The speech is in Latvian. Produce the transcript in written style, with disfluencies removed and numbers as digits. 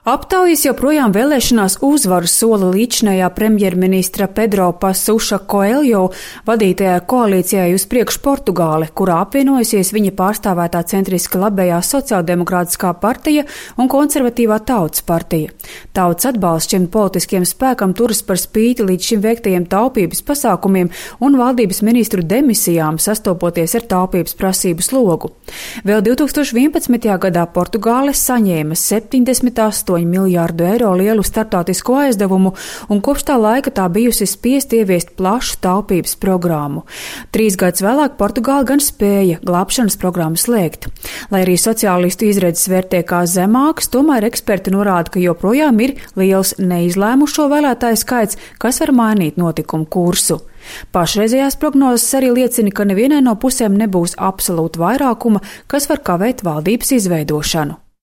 Aptaujas joprojām vēlēšanās uzvaru sola līdzinājā premjerministra Pedro Passuša Coelho vadītajā koalīcijai uz priekšu Portugāli, kurā apvienojusies viņa pārstāvētā centriski labējā sociāldemokrātiskā partija un konservatīvā Tautas partija. Tautas atbalsts šim politiskiem spēkam turas par spīti līdz šim veiktajiem taupības pasākumiem un valdības ministru demisijām, sastopoties ar taupības prasību slogu. Vēl 2011. gadā Portugāle saņēma 78 miljārdu eiro lielu starptautisko aizdevumu, un kopš tā laika tā bijusi spiest ieviest plašu taupības programmu. 3 gadus vēlāk Portugāla gan spēja glābšanas programmu slēgt. Lai arī sociālistu izredzes vērtē kā zemāks, tomēr eksperti norāda, ka joprojām ir liels neizlēmušo vēlētāju skaits, kas var mainīt notikumu kursu. Pašreizējās prognozes arī liecina, ka nevienai no pusēm nebūs absolūta vairākuma, kas var kavēt valdības izveidošanu.